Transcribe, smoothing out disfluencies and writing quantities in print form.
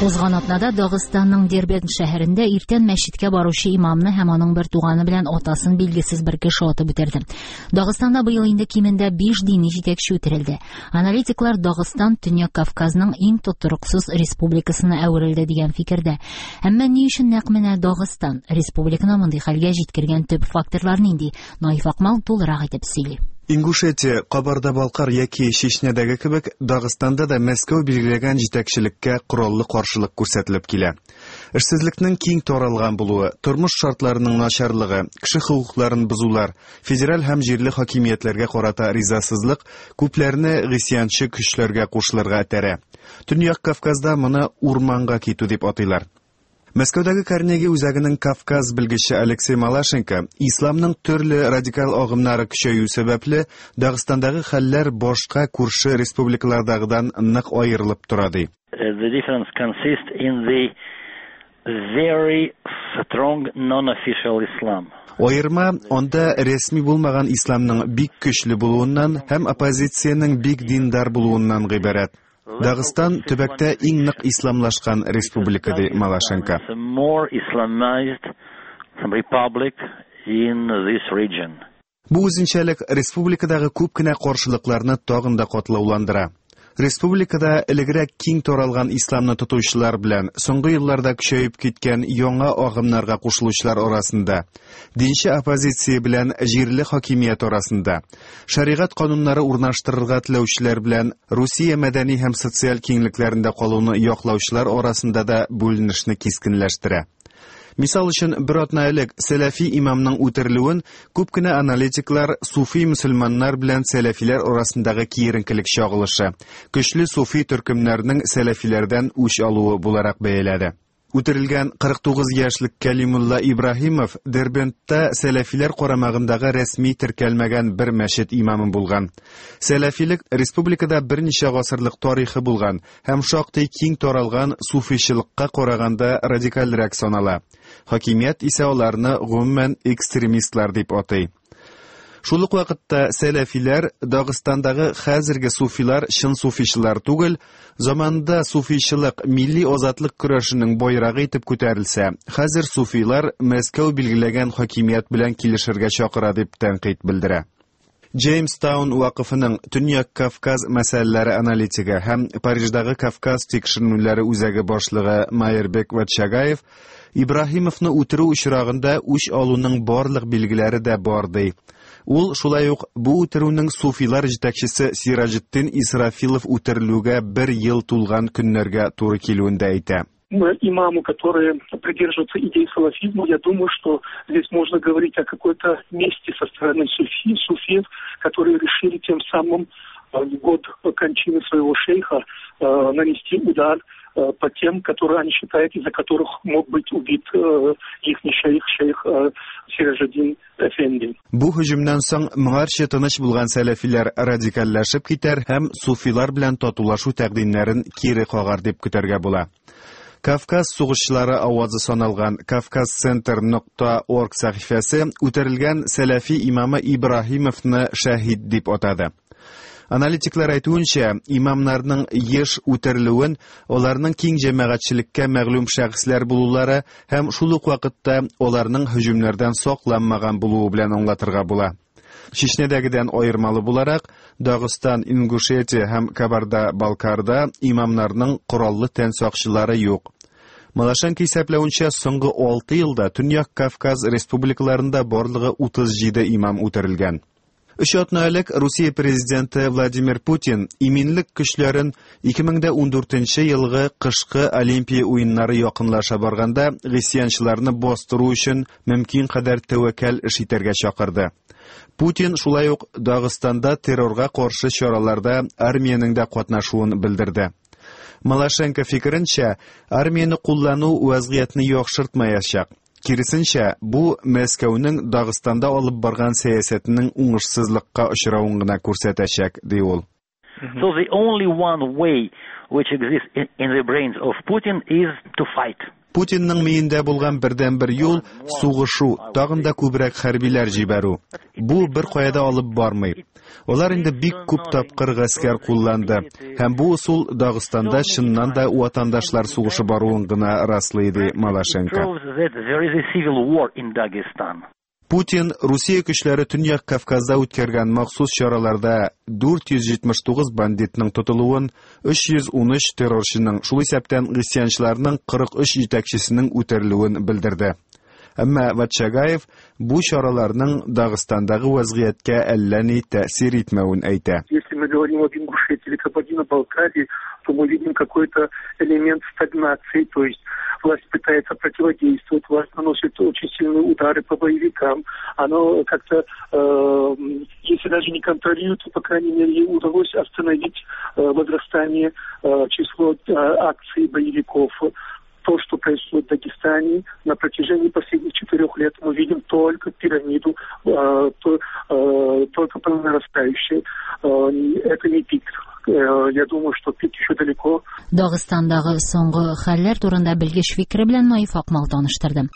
Узган атнада Дагыстанның Дербент шәһәрендә иртән мәчеткә баручы имамны һәм аның бер туганы белән атасын билгесез бер кеше атып үтерде. Дагыстанда быел инде кимендә 5 дини җитәкче үтерелде. Аналитиклар Дагыстан Төньяк Кавказның иң тотрыксыз республикасына әверелде дигән фикердә. Әмма ни өчен нәкъ менә Дагыстан? Республиканы мондый хәлгә җиткергән төп факторлар нинди? Наиф Акмал тулырак итеп сөйли. Ингушетия, Кабарда-Балкар яки Чечнядәге кебек, Дагыстанда да Мәскәү билгеләгән җитәкчелеккә кораллы каршылык күрсәтелеп килә. Эшсезлекнең киң таралган булуы, тормыш шартларының начарлыгы, кеше хокукларын бозулар, федераль һәм җирле хакимиятләргә карата ризасызлык күпләрне гыйсьянчы көчләргә кушылырга этәрә. Төньяк Кавказда моны урманга китү дип атыйлар. Мәскәүдәге Карнеги үзәгенең Кавказ белгече Алексей Малашенко исламның төрле радикаль агымнары көчәю сәбәпле Дагыстандагы хәлләр башка күрше республикалардагыдан нык аерылып тора ди. The difference consists in the very strong non-official Islam. Аерма анда рәсми булмаган исламның бик көчле булуыннан һәм оппозициянең бик диндар булуыннан гыйбарәт. Дагыстан төбәктә иң нык исламлашкан республика, ди Малашенко. Бу үзенчәлек республикадагы күп кенә каршылыкларны тагын да катлауландыра. Республикада элегрәк киң таралган исламны тотучылар белән соңгы елларда көчәеп киткән яңа агымнарга кушылучылар арасында, динче оппозиция белән җирле хакимият арасында, шәригать кануннары урнаштырырга теләүчеләр белән Русия мәдәни һәм социаль киңлекләрендә калуны яклаучылар арасында да бүленешне кискенләштерә. Мисал өчен, бер атна элек сәләфи имамның үтерелүен күп кенә аналитиклар суфи мөселманнар белән сәләфиләр арасындагы киеренкелек чагылышы, көчле суфи төркемнәрнең сәләфиләрдән үч алуы буларак бәяләде. Үтерелгән 49 яшьлек Кәлимулла Ибраһимов Дербентта сәләфиләр карамагындагы рәсми теркәлмәгән бер мәчет имамы булган. Сәләфилек республикада берничә гасырлык тарихы булган һәм шактый киң таралган суфичылыкка караганда радикальрәк санала. Хакимият исә аларны гомумән экстремистлар дип атый. Шул ук вакытта сәләфиләр Дагыстандагы хәзерге суфилар чын суфичылар түгел, заманында суфичылык милли азатлык көрәшенең байрагы итеп күтәрелсә, хәзер суфилар Мәскәү билгеләгән хакимият белән килешергә чакыра дип тәнкыйть белдерә. Джеймстаун вакыфының Төньяк Кавказ мәсьәләләре аналитигы һәм Париждагы Кавказ тикшеренүләре үзәге башлыгы Майербек Ватчагаев Ибраһимовны үтерү очрагында үч алуның барлык билгеләре дә бар ди. Ул шулай ук бу үтерүнең суфилар җитәкчесе Сираҗетдин Исрафилов үтерелүгә бер ел тулган көннәргә туры килүен дә әйтә. Имаму, которые придерживаются идей салафизма, я думаю, что здесь можно говорить о какой-то мести со стороны суфиев, которые решили тем самым в год кончины своего шейха нанести удар по тем, которые они считают, из-за которых мог быть убит их шейх, шейх Сиражеддин Эфенди. Бу һөҗүмнән соң моңарчы тыныч булган сәләфиләр радикальләшеп китәр һәм суфилар белән татулашу тәкъдимнәрен кире кагар дип көтәргә була. Кавказ сугышчылары авазы саналган Кавказцентр нокта орг сәхифәсе үтерелгән сәләфи имамы Ибраһимовны шәһид дип атады. Аналитиклар әйтүенчә, имамнарның еш үтерелүен аларның киң җәмәгатьчелеккә мәгълүм шәхесләр булулары һәм шул ук вакытта аларның һөҗүмнәрдән сакланмаган булуы белән аңлатырга була. Чечнядәгедән аермалы буларак, Дагыстан, Ингушетия һәм Кабарда-Балкарда имамнарның кораллы тән сакчылары юк. Малашенко исәпләвенчә, соңгы 6 елда Төньяк Кавказ республикаларында барлыгы 37 имам үтерелгән. Өч атна элек Русия президенты Владимир Путин иминлек көчләрен 2014 елгы кышкы Олимпия уеннары якынлаша барганда гыйсьянчыларны бастыру өчен мөмкин кадәр тәвәккәл эш итәргә чакырды. Путин шулай ук Дагыстанда террорга каршы чараларда армиянең дә катнашуын белдерде. Малашенко фикеренчә, армияне куллану вазгыятьне яхшыртмаячак. Киресенчә, бу Мәскәүнең Дагыстанда алып барган сәясәтенең уңышсызлыкка очравын гына күрсәтәчәк, ди ул. So the only one way which exists in the brains of Putin is to fight. Путинның миендә булган бердәнбер юл – сугышу, тагын да күбрәк хәрбиләр җибәрү. Бу беркая да алып бармый. Алар инде бик күп тапкыр гаскәр кулланды, һәм бу ысул Дагыстанда чыннан да ватандашлар сугышы баруын гына раслый, ди Малашенко. Путин Русия көчләре Төньяк Кавказда үткәргән махсус чараларда 479 бандитның тотылуын, 313 террорчының, шул исәптән гыйсьянчыларның 43 җитәкчесенең үтерелүен белдерде. Әмма Ватчагаев бу чараларның Дагыстандагы вазгыятькә әллә ни тәэсир итмәвен әйтә. Если мы говорим об Ингушетии или Кабардино-Балкарии, то мы видим какой-то элемент стагнации, то есть власть пытается противодействовать, власть наносит очень сильные удары по боевикам, оно как-то, если даже не контролирует, то, по крайней мере, ей удалось остановить возрастание число акций боевиков. То, что происходит в Дагестане на протяжении последних 4 лет, мы видим только пирамиду, только по нарастающей. Это не пик. Я думаю, что пик еще далеко. Дагыстандагы соңгы хәлләр турында белгеч фикере белән Наиф Акмал таныштырды.